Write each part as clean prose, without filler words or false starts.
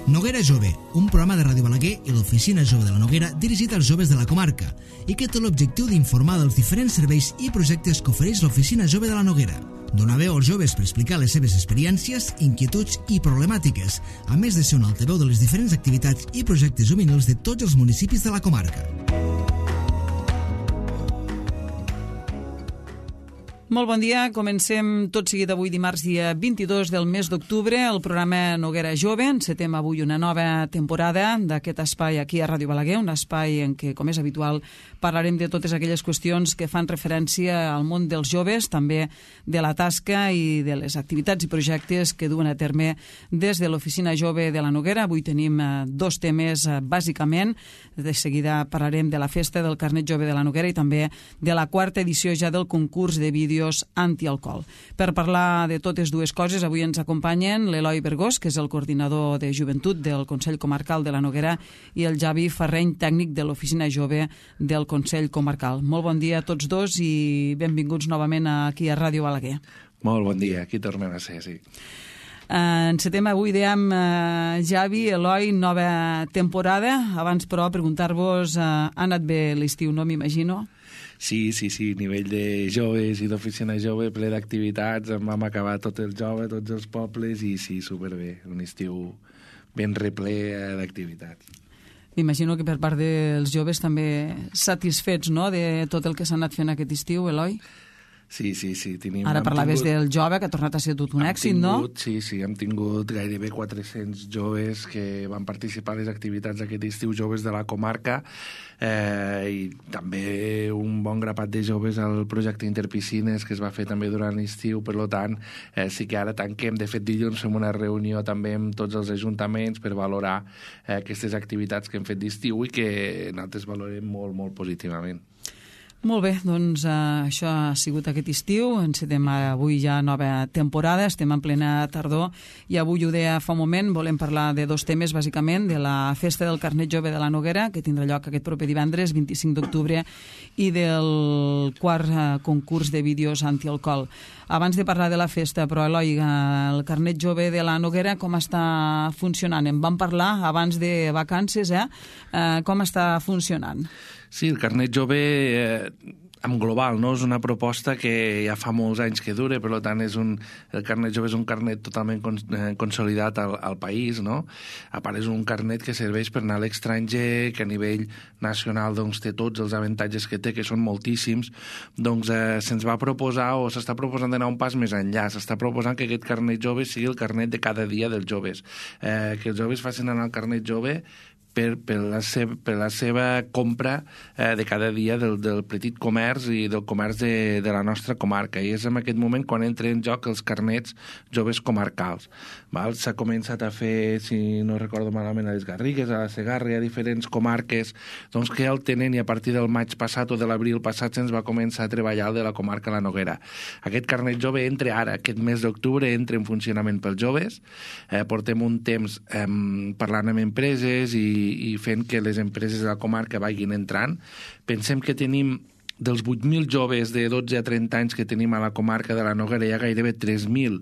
Noguera Jove, un programa de Ràdio Balaguer i l'Oficina Jove de la Noguera dirigit als joves de la comarca i que té l'objectiu d'informar dels diferents serveis i projectes que ofereix l'Oficina Jove de la Noguera. Donar veu als joves per explicar les seves experiències, inquietuds i problemàtiques, a més de ser un altaveu de les diferents activitats i projectes juvenils de tots els municipis de la comarca. Molt bon dia, comencem tot seguit avui dimarts dia 22 del mes d'octubre el programa Noguera Jove. Encetem avui una nova temporada d'aquest espai aquí a Ràdio Balaguer, un espai en què, com és habitual, parlarem de totes aquelles qüestions que fan referència al món dels joves, també de la tasca i de les activitats i projectes que duen a terme des de l'Oficina Jove de la Noguera. Avui tenim dos temes bàsicament. De seguida parlarem de la festa del Carnet Jove de la Noguera i també de la quarta edició ja del concurs de vídeos antialcohol. Per parlar de totes dues coses, avui ens acompanyen l'Eloi Bergós, que és el coordinador de joventut del Consell Comarcal de la Noguera, i el Javi Ferreny, tècnic de l'Oficina Jove del Consell Comarcal. Molt bon dia a tots dos i benvinguts novament aquí a Ràdio Balaguer. Molt bon dia, aquí tornem a ser, sí. Encetem avui, dèiem, Javi, Eloi, nova temporada. Abans, però, preguntar-vos, ha anat bé l'estiu, no m'imagino? Sí, nivell de joves i d'oficina jove, ple d'activitats, en vam acabar tot el jove, tots els pobles, i sí, superbé, un estiu ben reple d'activitats. M'imagino que per part dels joves també satisfets, no?, de tot el que s'ha anat fent aquest estiu, Eloi? Sí. Ara parlaves del jove, que ha tornat a ser tot un èxit, no? Sí, hem tingut gairebé 400 joves que van participar a les activitats d'aquest estiu, joves de la comarca, i també un bon grapat de joves al projecte Interpiscines que es va fer també durant l'estiu. Per tant, sí que ara tanquem. De fet, dilluns fem una reunió també amb tots els ajuntaments per valorar aquestes activitats que hem fet d'estiu i que nosaltres valorem molt, molt positivament. Molt bé, doncs això ha sigut aquest estiu. Encetem avui ja nova temporada, estem en plena tardor i avui, ho deia fa un moment, volem parlar de dos temes, bàsicament, de la festa del Carnet Jove de la Noguera, que tindrà lloc aquest proper divendres, 25 d'octubre, i del quart concurs de vídeos antialcohol. Abans de parlar de la festa, però, Eloi, el Carnet Jove de la Noguera, com està funcionant? En vam parlar abans de vacances, com està funcionant? Sí, el Carnet Jove en global, no? És una proposta que ja fa molts anys que dura, per tant el Carnet Jove és un carnet totalment consolidat al país, no? A part, és un carnet que serveix per anar a l'estranger, que a nivell nacional doncs, té tots els avantatges que té, que són moltíssims. Doncs se'ns va proposar, o s'està proposant d'anar un pas més enllà, s'està proposant que aquest Carnet Jove sigui el carnet de cada dia dels joves, que els joves facin anar el Carnet Jove per la seva compra de cada dia del petit comerç i del comerç de la nostra comarca. I és en aquest moment quan entra en joc els carnets joves comarcals. S'ha començat a fer, si no recordo malament, a les Garrigues, a la Segarra, a diferents comarques doncs, que ja el tenen, i a partir del maig passat o de l'abril passat se'ns va començar a treballar el de la comarca La Noguera. Aquest carnet jove entra ara, aquest mes d'octubre, entra en funcionament pels joves. Portem un temps parlant amb empreses i fent que les empreses de la comarca vagin entrant. Pensem que tenim dels 8.000 joves de 12 a 30 anys que tenim a la comarca de la Noguera, hi ha gairebé 3.000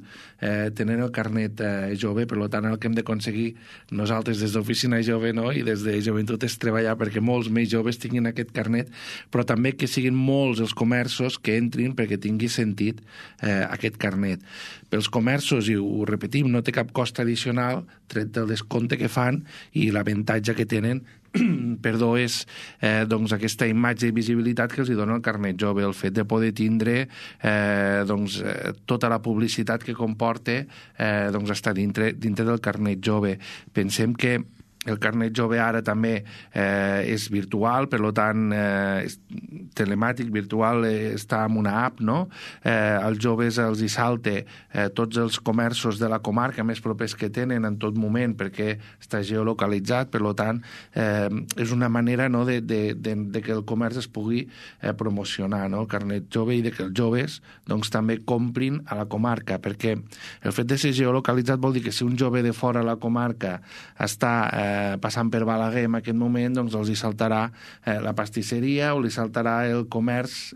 tenen el carnet jove. Per tant, el que hem d'aconseguir nosaltres des d'Oficina Jove, no?, i des de Joventut és treballar perquè molts més joves tinguin aquest carnet, però també que siguin molts els comerços que entrin perquè tingui sentit aquest carnet. Pels comerços, i ho repetim, no té cap cost addicional tret del descompte que fan, i l'avantatge que tenen és doncs aquesta imatge i visibilitat que els dona el carnet jove, el fet de poder tindre tota la publicitat que comporta està dintre del carnet jove. Pensem que el carnet jove ara també és virtual, per tant, és telemàtic, virtual, està en una app, no? Els joves els hi salta tots els comerços de la comarca més propers que tenen en tot moment, perquè està geolocalitzat. Per tant, és una manera, no?, de que el comerç es pugui promocionar, no?, el carnet jove, i de que els joves doncs, també comprin a la comarca, perquè el fet de ser geolocalitzat vol dir que si un jove de fora a la comarca està passant per Balaguer en aquest moment, doncs els hi saltarà la pastisseria o li saltarà el comerç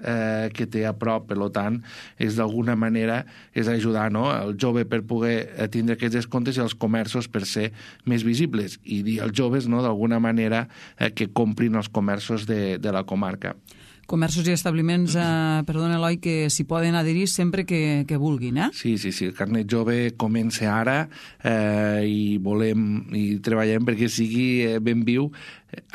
que té a prop. Per tant, és d'alguna manera és ajudar, no?, el jove per poder tindre aquests descomptes i els comerços per ser més visibles i dir als joves, no?, d'alguna manera que comprin els comerços de la comarca. Comerços i establiments, perdona Eloi, que s'hi poden adherir sempre que vulguin, eh? Sí, el carnet jove comença ara i treballem perquè sigui ben viu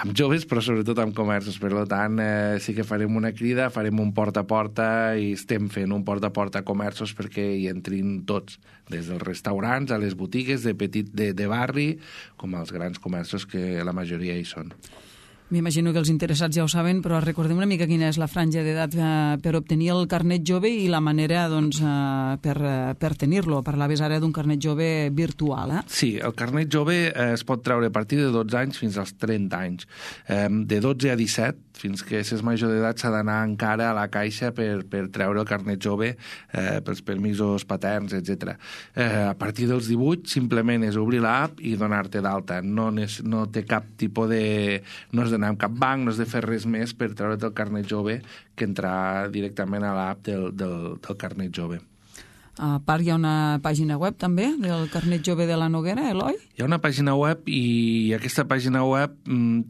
amb joves, però sobretot amb comerços. Per tant, sí que farem una crida, farem un porta a porta i estem fent un porta a porta a comerços perquè hi entrin tots, des dels restaurants a les botigues de barri, com als grans comerços que la majoria hi són. M'imagino que els interessats ja ho saben, però recordem una mica quina és la franja d'edat per obtenir el carnet jove i la manera per tenir-lo. Parlaves ara d'un carnet jove virtual, eh? Sí, el carnet jove es pot treure a partir de 12 anys fins als 30 anys. De 12 a 17, fins que s'és major d'edat, s'ha d'anar encara a la caixa per treure el carnet jove pels permisos paterns, etc. A partir dels 18, simplement és obrir l'app i donar-te d'alta. No té cap tipus de... No és d'anar a cap banc, no has de fer res més per treure't el carnet jove que entrar directament a l'app del carnet jove. A part, hi ha una pàgina web també del carnet jove de la Noguera, Eloi? Hi ha una pàgina web i aquesta pàgina web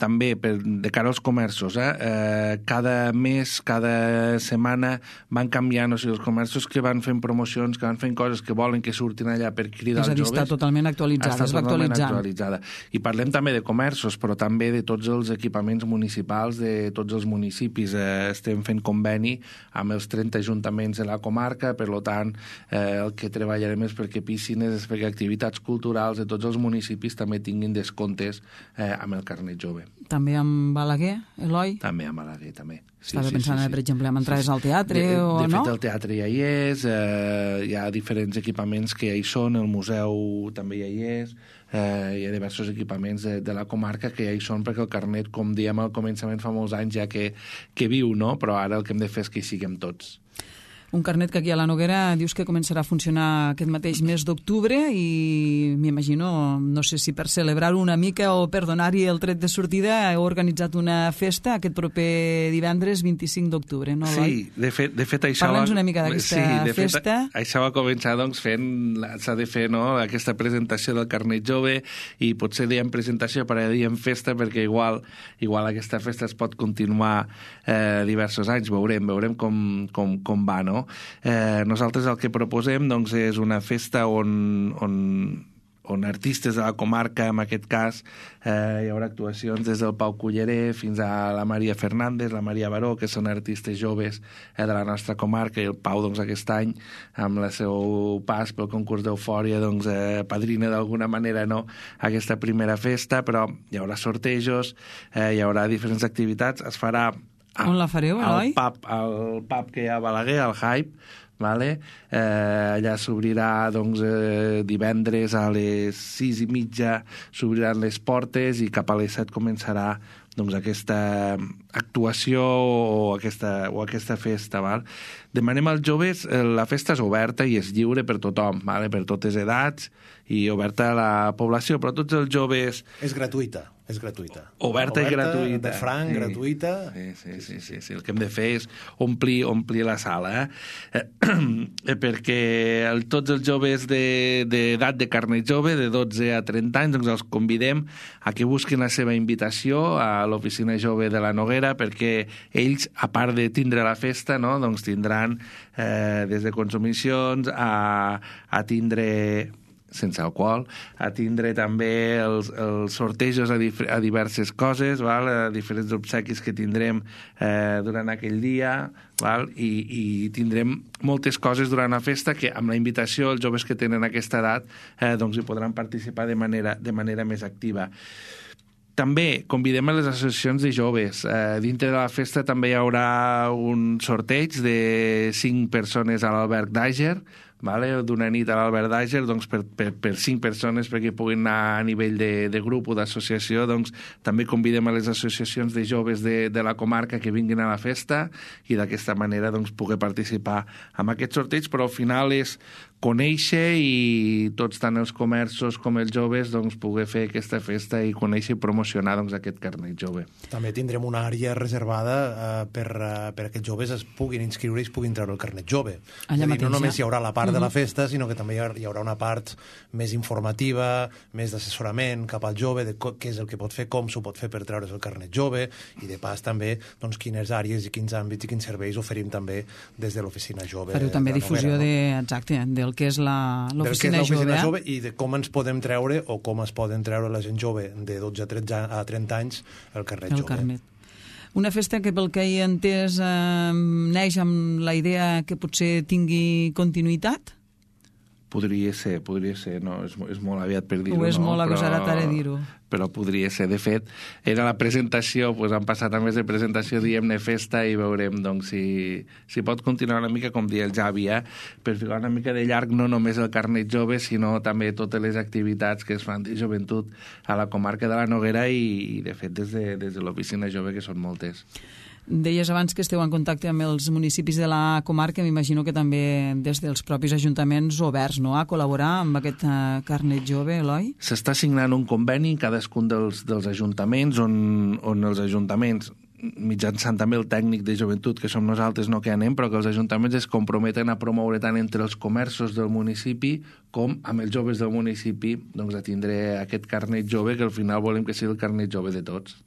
també de cara als comerços. Cada mes, cada setmana van canviant, o sigui, els comerços que van fent promocions, que van fent coses que volen que surtin allà per cridar els joves. És a dir, està totalment actualitzada, es va actualitzant. I parlem també de comerços, però també de tots els equipaments municipals de tots els municipis. Estem fent conveni amb els 30 ajuntaments de la comarca, per tant, el que treballarem és perquè piscines, és perquè activitats culturals de tots els municipis també tinguin descomptes amb el carnet jove. També amb Balaguer, Eloi? També amb Balaguer, també. Estava pensant, per exemple, en entrades al teatre o no? De fet, el teatre ja hi és, hi ha diferents equipaments que ja hi són, el museu també ja hi és, hi ha diversos equipaments de la comarca que ja hi són perquè el carnet, com dèiem al començament, fa molts anys ja que viu, no? Però ara el que hem de fer és que hi siguem tots. Un carnet que aquí a la Noguera dius que començarà a funcionar aquest mateix mes d'octubre i m'imagino, no sé si per celebrar-ho una mica o per donar-hi el tret de sortida, heu organitzat una festa aquest proper divendres 25 d'octubre, no, Eloi? Sí, de fet això... Parla'ns una mica d'aquesta festa. Això va començar doncs s'ha de fer, no?, aquesta presentació del carnet jove i potser diem presentació per a diem festa perquè igual aquesta festa es pot continuar diversos anys, veurem com va, no? Nosaltres el que proposem doncs, és una festa on artistes de la comarca, en aquest cas, hi haurà actuacions des del Pau Culleré fins a la Maria Fernández, la Maria Baró, que són artistes joves de la nostra comarca, i el Pau doncs, aquest any, amb el seu pas pel concurs d'Eufòria, doncs, padrina d'alguna manera, no?, aquesta primera festa, però hi haurà sortejos, hi haurà diferents activitats, es farà on la fareu, Eloi? Al pub que hi ha a Balaguer, al Hype, vale? Allà s'obrirà doncs, divendres a les 6:30 s'obriran les portes i cap a les 7 començarà doncs, aquesta actuació o aquesta festa. Val? Demanem als joves, la festa és oberta i és lliure per tothom, vale? Per totes edats i oberta a la població, però tots els joves... És gratuïta. Oberta i gratuïta. De franc, gratuïta. Sí. El que hem de fer és omplir la sala. Perquè tots els joves d'edat de carnet jove, de 12 a 30 anys, doncs els convidem a que busquin la seva invitació a l'Oficina Jove de la Noguera, perquè ells, a part de tindre la festa, no, doncs tindran des de consumicions a tindre... sense alcohol, a tindre també els sortejos a diverses coses, val? A diferents obsequis que tindrem durant aquell dia, val? I tindrem moltes coses durant la festa que amb la invitació els joves que tenen aquesta edat doncs hi podran participar de manera més activa. També convidem a les associacions de joves. Dintre de la festa també hi haurà un sorteig de 5 persones a l'Alberg d'Àger, d'una nit a l'Albert Dager, doncs per 5 persones perquè puguin anar a nivell de grup o d'associació. Doncs també convidem a les associacions de joves de la comarca que vinguin a la festa i d'aquesta manera doncs poder participar en aquest sorteig, però al final és conèixer i tots, tant els comerços com els joves, doncs poder fer aquesta festa i conèixer i promocionar doncs aquest carnet jove. També tindrem una àrea reservada per aquests joves es puguin inscriure i es puguin treure el carnet jove. Allà mateix, no només hi haurà la part de la festa, sinó que també hi haurà una part més informativa, més d'assessorament cap al jove, de què és el que pot fer, com s'ho pot fer per treure's el carnet jove, i de pas també doncs, quines àrees i quins àmbits i quins serveis oferim també des de l'oficina jove. Fareu també difusió del que és l'oficina jove i de com ens podem treure o com es poden treure la gent jove de 12 a 30 anys el carnet jove. Una festa que pel que he entès neix amb la idea que potser tingui continuïtat? Podria ser, no? És molt aviat per dir-ho, no? És molt agosarat ara dir-ho. Però podria ser. De fet, era la presentació, doncs han passat a més de presentació, diem-ne festa, i veurem doncs, si pot continuar una mica, com deia el Javi, per ficar una mica de llarg no només el carnet jove, sinó també totes les activitats que es fan de joventut a la comarca de la Noguera i de fet, des de l'oficina jove, que són moltes. Deies abans que esteu en contacte amb els municipis de la comarca, m'imagino que també des dels propis ajuntaments oberts, no?, a col·laborar amb aquest carnet jove, Eloi? S'està signant un conveni en cadascun dels ajuntaments on els ajuntaments, mitjançant també el tècnic de joventut, que som nosaltres, no que anem, però que els ajuntaments es comprometen a promoure tant entre els comerços del municipi com amb els joves del municipi, doncs a tindre aquest carnet jove, que al final volem que sigui el carnet jove de tots.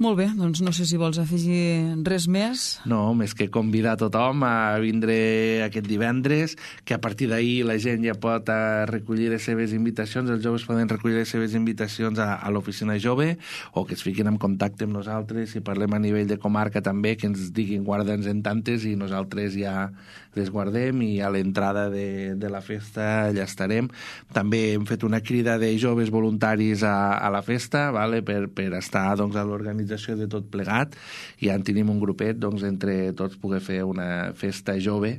Molt bé, doncs no sé si vols afegir res més. No, més que convidar tothom a vindre aquest divendres, que a partir d'ahir la gent ja pot recollir les seves invitacions, els joves poden recollir les seves invitacions a l'oficina jove, o que es fiquin en contacte amb nosaltres, si parlem a nivell de comarca també, que ens diguin guarda'ns en tantes i nosaltres ja les guardem i a l'entrada de la festa allà estarem. També hem fet una crida de joves voluntaris a la festa, vale? per estar doncs, a l'organització de tot plegat, i ja en tenim un grupet, doncs entre tots poder fer una festa jove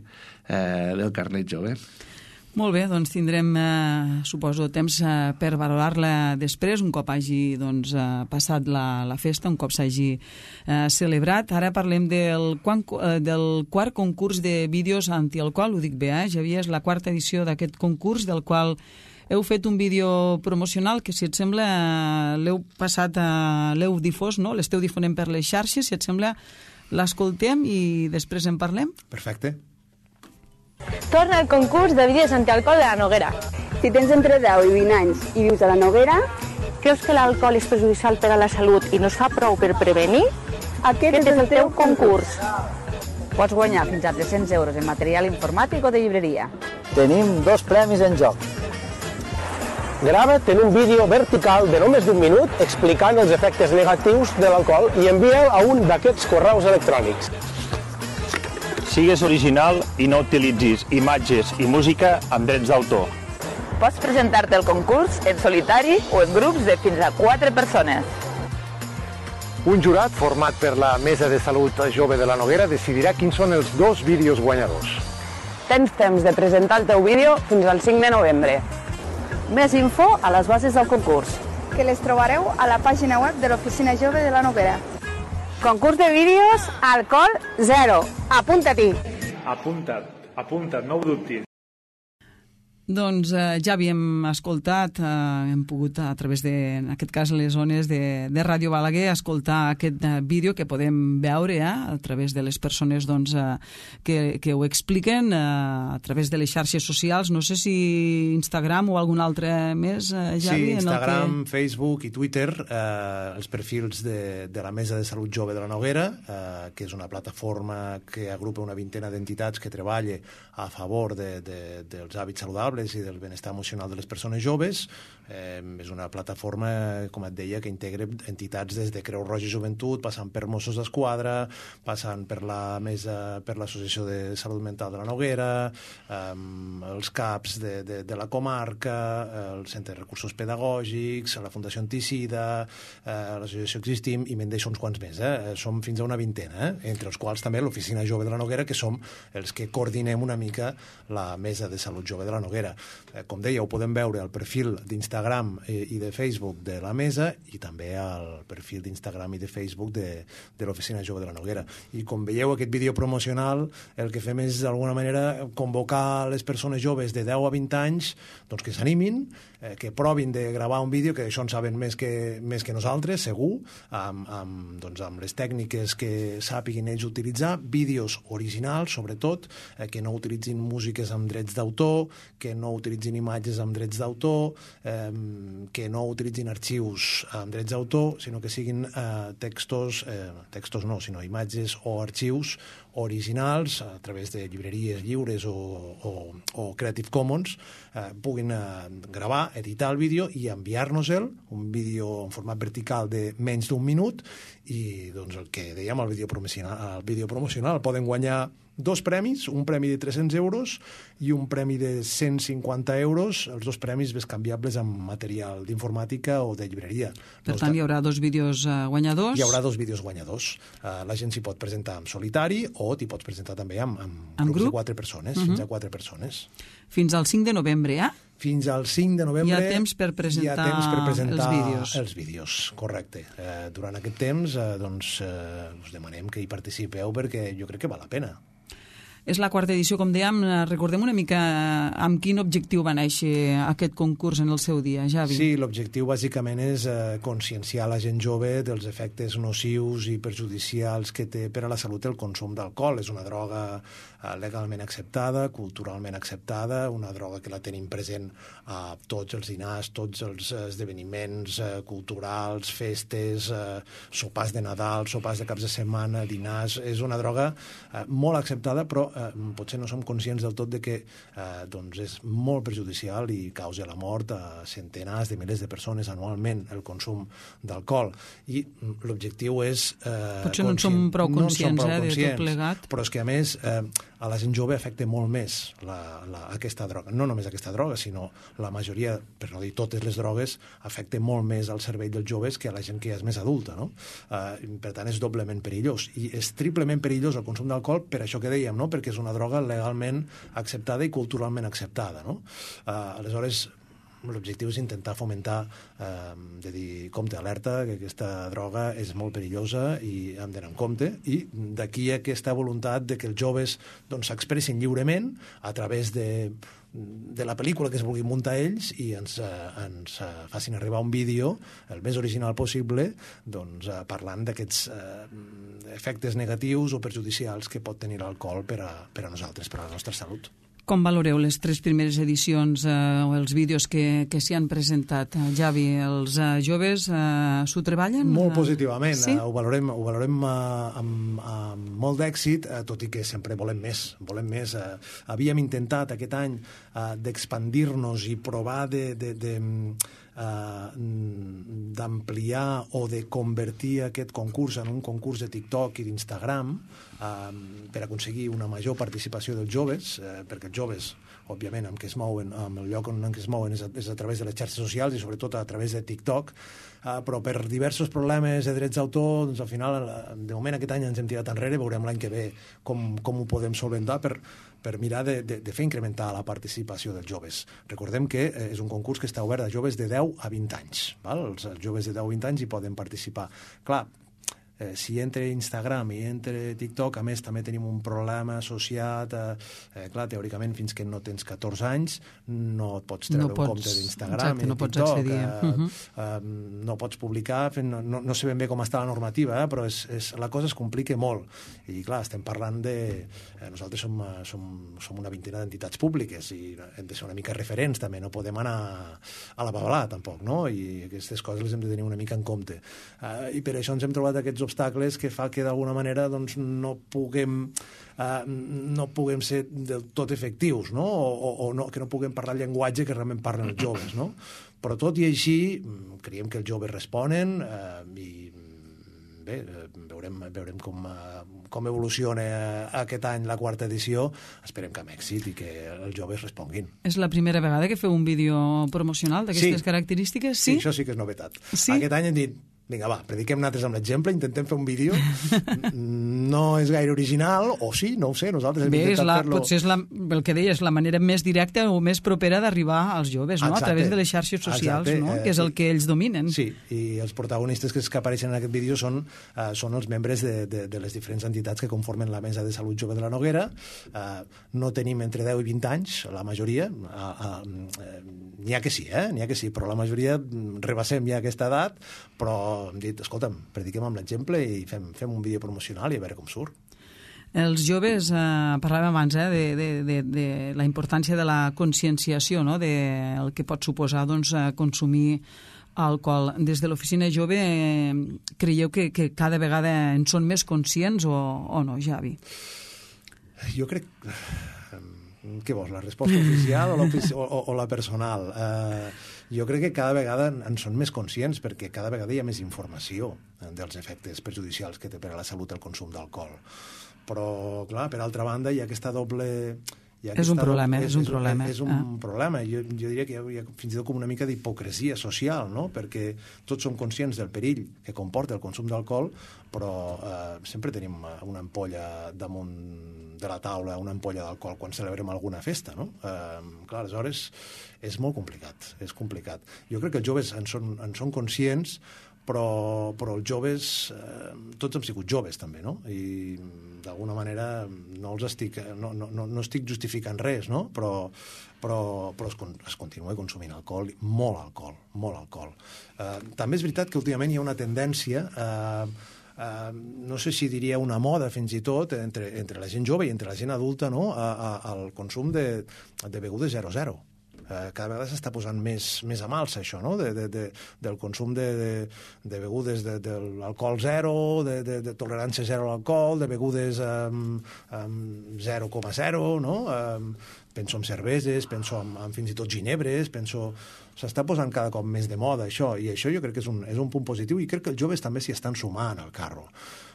del carnet jove. Molt bé, doncs tindrem, suposo, temps per valorar-la després, un cop hagi passat la festa, un cop s'hagi celebrat. Ara parlem del quart concurs de vídeos antialcohol, ho dic bé, Javier, és la quarta edició d'aquest concurs, del qual heu fet un vídeo promocional que, si et sembla, l'heu passat, l'heu difós, no? L'esteu difonent per les xarxes, si et sembla, l'escoltem i després en parlem? Perfecte. Torna al concurs de vídeos antialcohol de la Noguera. Si tens entre 10 i 20 anys i vius a la Noguera, creus que l'alcohol és perjudicial per a la salut i no es fa prou per prevenir? aquest és el teu concurs. Pots guanyar fins a 300 euros en material informàtic o de llibreria. Tenim 2 premis en joc. Grava't en un vídeo vertical de només d'1 minut explicant els efectes negatius de l'alcohol i envia'l a un d'aquests correus electrònics. Sigues original i no utilitzis imatges i música amb drets d'autor. Pots presentar-te al concurs en solitari o en grups de fins a 4 persones. Un jurat format per la Mesa de Salut Jove de la Noguera decidirà quins són els 2 vídeos guanyadors. Tens temps de presentar el teu vídeo fins al 5 de novembre. Més info a les bases del concurs, que les trobareu a la pàgina web de l'Oficina Jove de la Noguera. Concurs de vídeos, alcohol 0. Apunta-t'hi. Apunta't, no ho dubtis. Doncs ja havíem escoltat, hem pogut a través de, en aquest cas, les zones de Ràdio Balaguer, escoltar aquest vídeo que podem veure a través de les persones que ho expliquen a través de les xarxes socials. No sé si Instagram o algun altre més, Javi. Sí, Instagram, Facebook i Twitter, els perfils de la Mesa de Salut Jove de la Noguera, que és una plataforma que agrupa una vintena d'entitats que treballa a favor dels hàbits saludables mentales i del benestar emocional de les persones joves. És una plataforma, com et deia, que integra entitats des de Creu Roja i Joventut, passant per Mossos d'Esquadra, passant per l'Associació de Salut Mental de la Noguera, els CAPs de la comarca, el Centre de Recursos Pedagògics, la Fundació Anticida, l'Associació Existim, i me'n deixo uns quants més. Som fins a una vintena, entre els quals també l'Oficina Jove de la Noguera, que som els que coordinem una mica la Mesa de Salut Jove de la Noguera. Com deia, ho podem veure al perfil d'Instagram i de Facebook de la Mesa i també al perfil d'Instagram i de Facebook de l'Oficina Jove de la Noguera. I com veieu, aquest vídeo promocional, el que fem és, d'alguna manera, convocar les persones joves de 10 a 20 anys doncs, que s'animin, que provin de gravar un vídeo, que això en saben més que nosaltres, segur, amb les tècniques que sàpiguin ells utilitzar, vídeos originals, sobretot, que no utilitzin músiques amb drets d'autor, que no utilitzin imatges amb drets d'autor, que no utilitzin arxius amb drets d'autor, sinó que siguin textos no, sinó imatges o arxius originals a través de llibreries lliures o Creative Commons, puguin gravar, editar el vídeo i enviar-nos-el, un vídeo en format vertical de menys d'un minut, i doncs el que dèiem, el vídeo promocional, poden guanyar 2 premis, un premi de 300 euros i un premi de 150 euros, els 2 premis bescanviables amb material d'informàtica o de llibreria. Per tant, hi haurà 2 vídeos guanyadors? Hi haurà 2 vídeos guanyadors. La gent s'hi pot presentar en solitari o t'hi pots presentar també amb grups de 4 persones, fins a 4 persones. Fins al 5 de novembre, Fins al 5 de novembre hi ha temps per presentar els vídeos, correcte. Durant aquest temps us demanem que hi participeu perquè jo crec que val la pena. És la 4ª edició, com dèiem. Recordem una mica amb quin objectiu va néixer aquest concurs en el seu dia, Javi. Sí, l'objectiu bàsicament és conscienciar la gent jove dels efectes nocius i perjudicials que té per a la salut el consum d'alcohol. És una droga legalment acceptada, culturalment acceptada, una droga que la tenim present a tots els dinars, tots els esdeveniments culturals, festes, sopars de Nadal, sopars de caps de setmana, dinars. És una droga molt acceptada, però potser no som conscients del tot de que és molt perjudicial i causa la mort a centenars de milers de persones anualment el consum d'alcohol. I l'objectiu és... Potser no en som prou conscients, de tot plegat. Però és que, a més, a la gent jove afecta molt més aquesta droga. No només aquesta droga, sinó la majoria, per no dir totes les drogues, afecta molt més al cervell dels joves que a la gent que ja és més adulta, no? Per tant, és doblement perillós. I és triplement perillós el consum d'alcohol per això que dèiem, no? Perquè és una droga legalment acceptada i culturalment acceptada, no? Aleshores, l'objectiu és intentar fomentar, de dir, compte, alerta, que aquesta droga és molt perillosa i hem d'anar en compte, i d'aquí aquesta voluntat de que els joves s'expressin lliurement a través de la pel·lícula que es vulguin muntar ells i ens facin arribar un vídeo el més original possible parlant d'aquests efectes negatius o perjudicials que pot tenir l'alcohol per a nosaltres, per a la nostra salut. Com valoreu les 3 primeres edicions o els vídeos que s'hi han presentat? Javi, els joves s'ho treballen? Molt positivament. Sí? Ho valorem amb molt d'èxit, tot i que sempre volem més. Havíem intentat aquest any d'expandir-nos i provar d'ampliar o de convertir aquest concurs en un concurs de TikTok i d'Instagram per aconseguir una major participació dels joves, perquè els joves, òbviament, amb el lloc en què es mouen és a través de les xarxes socials i sobretot a través de TikTok, però per diversos problemes de drets d'autor, al final, de moment aquest any ens hem tirat enrere, veurem l'any que ve com ho podem solventar per mirar de fer incrementar la participació dels joves. Recordem que és un concurs que està obert a joves de 10 a 20 anys. Els joves de 10 a 20 anys hi poden participar. Clar, si entre Instagram i entre TikTok, a més també tenim un problema associat clar, teòricament fins que no tens 14 anys no et pots treure un compte d'Instagram i TikTok, no pots publicar, no sé ben bé com està la normativa, però la cosa es complica molt i clar, estem parlant nosaltres som una vintena d'entitats públiques i hem de ser una mica referents també, no podem anar a la babalà tampoc, no? I aquestes coses les hem de tenir una mica en compte i per això ens hem trobat aquests d'obstacles que fa que d'alguna manera doncs, no puguem ser del tot efectius, no? O no, que no puguem parlar el llenguatge que realment parlen els joves, no? Però tot i així, creiem que els joves responen i bé, veurem com evoluciona aquest any la 4ª edició. Esperem que amb èxit i que els joves responguin. És la primera vegada que feu un vídeo promocional d'aquestes característiques? Sí, això sí que és novetat. Sí? Aquest any hem dit, vinga, va, prediquem nosaltres amb l'exemple, intentem fer un vídeo. No és gaire original, o sí, no ho sé, nosaltres hem intentat fer-lo... Potser és el que deies, la manera més directa o més propera d'arribar als joves, no? Exacte. A través de les xarxes socials, no? Que és el que ells dominen. Sí, i els protagonistes que apareixen en aquest vídeo són els membres de les diferents entitats que conformen la Mesa de Salut Jove de la Noguera. No tenim entre 10 i 20 anys, la majoria. N'hi ha que sí, però la majoria rebassem ja aquesta edat, però hem dit, escolta'm, prediquem amb l'exemple i fem un vídeo promocional i a veure com surt. Els joves, parlàvem abans de la importància de la conscienciació, no? Del que pot suposar consumir alcohol. Des de l'Oficina Jove creieu que cada vegada en són més conscients o no, Javi? Jo crec... Què vols, la resposta oficial o la personal? Jo crec que cada vegada en són més conscients perquè cada vegada hi ha més informació dels efectes perjudicials que té per a la salut el consum d'alcohol. Però, clar, per altra banda, hi ha aquesta doble... És un problema. És un problema. Jo diria que hi ha fins i tot com una mica d'hipocresia social, no? Perquè tots som conscients del perill que comporta el consum d'alcohol, però sempre tenim una ampolla damunt de la taula, una ampolla d'alcohol quan celebrem alguna festa, no? Clar, aleshores és molt complicat, és complicat. Jo crec que els joves en són conscients, però els joves, tots hem sigut joves també, no? I d'alguna manera no estic justificant res, no? Però es continua consumint alcohol, molt alcohol. També és veritat que últimament hi ha una tendència no sé si diria una moda fins i tot entre la gent jove i entre la gent adulta, no? Al consum de begudes 0-0. Cada vegada s'està posant més a malsa això, no? Del consum de begudes de l'alcohol zero, de tolerància zero a l'alcohol, de begudes 0,0, no? Penso en cerveses, penso en fins i tot ginebres, s'està posant cada cop més de moda això, i això jo crec que és un punt positiu, i crec que els joves també s'hi estan sumant al carro.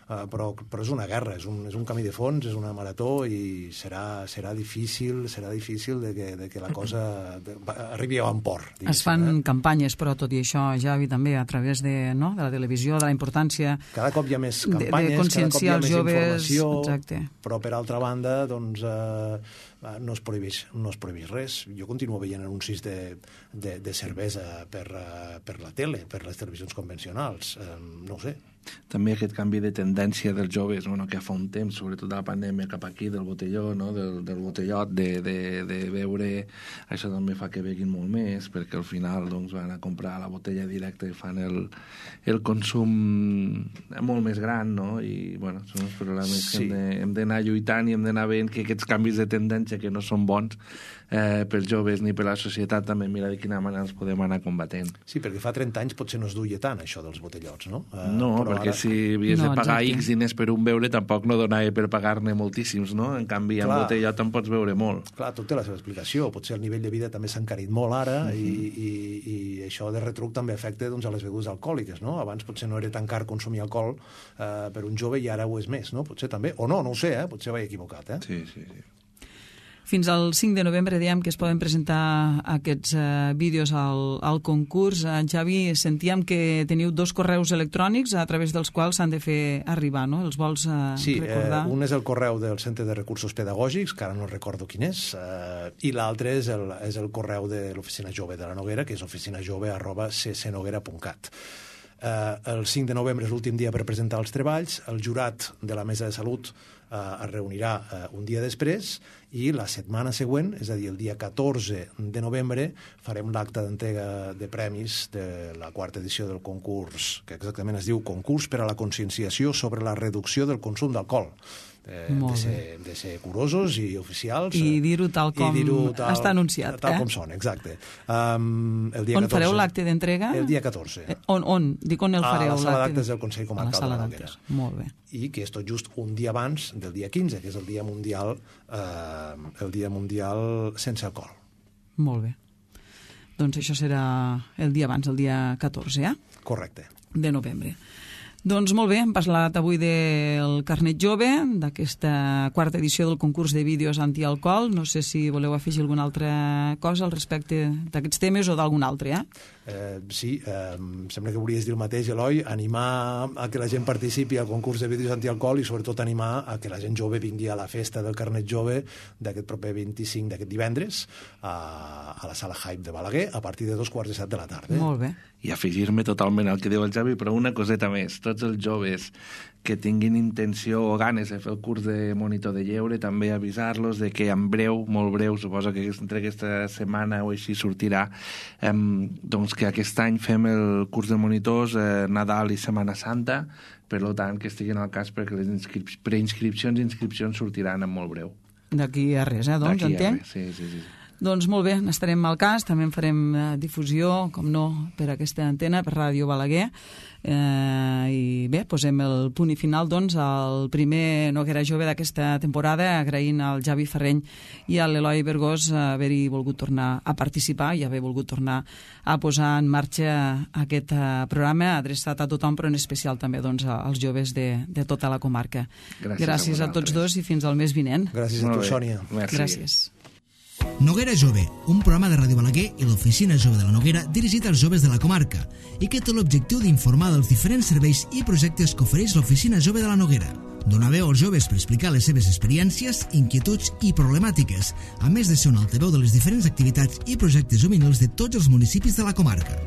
Però és una guerra, és un camí de fons, és una marató, i serà difícil de que la cosa arribi a bon port. Es fan campanyes, però tot i això, Javi, també a través de la televisió, de la importància... Cada cop hi ha més campanyes, cada cop hi ha més informació, exacte. Però per altra banda, doncs... no es prohibeix res. Jo continuo veient anuncis de cervesa per la tele, per les televisions convencionals. No ho sé. També aquest canvi de tendència dels joves, no? Que fa un temps, sobretot de la pandèmia cap aquí, del botelló, no? del botellot, de beure, això també fa que beguin molt més, perquè al final doncs, van a comprar la botella directa i fan el consum molt més gran, no? I bueno, són els problemes que hem d'anar lluitant i hem d'anar veient que aquests canvis de tendència que no són bons pels joves ni per la societat, també mira de quina manera els podem anar combatent. Sí, perquè fa 30 anys potser no es duia tant això dels botellots, no? No, perquè si havies de pagar X diners per un beure tampoc no donava per pagar-ne moltíssims, no? En canvi, amb botellot en pots beure molt. Clar, tot té la seva explicació. Potser el nivell de vida també s'ha encarit molt ara i això de retruc també afecta a les begudes alcohòliques, no? Abans potser no era tan car consumir alcohol per un jove i ara ho és més, no? Potser també, o no ho sé, potser vaig equivocat, Sí. Fins al 5 de novembre dèiem que es poden presentar aquests vídeos al concurs. Javi, sentíem que teniu 2 correus electrònics a través dels quals s'han de fer arribar, no? Els vols recordar? Sí, un és el correu del Centre de Recursos Pedagògics, que ara no recordo quin és, i l'altre és el correu de l'Oficina Jove de la Noguera, que és oficinajove@ccnoguera.cat. El 5 de novembre és l'últim dia per presentar els treballs. El jurat de la Mesa de Salut es reunirà un dia després i la setmana següent, és a dir, el dia 14 de novembre, farem l'acte d'entrega de premis de la 4ª edició del concurs, que exactament es diu Concurs per a la conscienciació sobre la reducció del consum d'alcohol. de ser curosos i oficials. I dir-ho tal com està anunciat. Tal com són, exacte. El dia 14, on fareu l'acte d'entrega? El dia 14. On? Dic on el fareu? A la sala d'actes del Consell Comarcal de la Noguera. Molt bé. I que és tot just un dia abans del dia 15, que és el dia mundial sense alcohol. Molt bé. Doncs això serà el dia abans, el dia 14, Correcte. De novembre. Doncs molt bé, hem parlat avui del Carnet Jove, d'aquesta quarta edició del concurs de vídeos antialcohol. No sé si voleu afegir alguna altra cosa al respecte d'aquests temes o d'algun altre, Sí, em sembla que volies dir el mateix, Eloi, animar a que la gent participi al concurs de vídeos antialcohol i sobretot animar a que la gent jove vingui a la festa del Carnet Jove d'aquest proper 25, d'aquest divendres, a la sala Hype de Balaguer a partir de 2:15 de la tarda. Molt bé. I afegir-me totalment al que diu el Xavi, però una coseta més. Tots els joves que tinguin intenció o ganes de fer el curs de monitor de lleure, també avisar-los de que en breu, molt breu, suposo que entre aquesta setmana o així sortirà, doncs que aquest any fem el curs de monitors Nadal i Setmana Santa, per tant que estiguin al cas perquè les preinscripcions i inscripcions sortiran en molt breu. D'aquí a res, doncs, entenc? Sí. Doncs molt bé, n'estarem al cas, també en farem difusió, com no, per aquesta antena, per Ràdio Balaguer, i bé, posem el punt i final doncs al primer Noguera Jove d'aquesta temporada, agraint al Javi Ferreny i a l'Eloi Bergós haver-hi volgut tornar a participar i haver volgut tornar a posar en marxa aquest programa adreçat a tothom, però en especial també doncs als joves de tota la comarca. Gràcies a tots dos i fins al mes vinent. Gràcies a tu, Sònia. Gràcies. Noguera Jove, un programa de Ràdio Balaguer i l'Oficina Jove de la Noguera dirigit als joves de la comarca i que té l'objectiu d'informar dels diferents serveis i projectes que ofereix l'Oficina Jove de la Noguera. Donar veu als joves per explicar les seves experiències, inquietuds i problemàtiques, a més de ser un altaveu de les diferents activitats i projectes juvenils de tots els municipis de la comarca.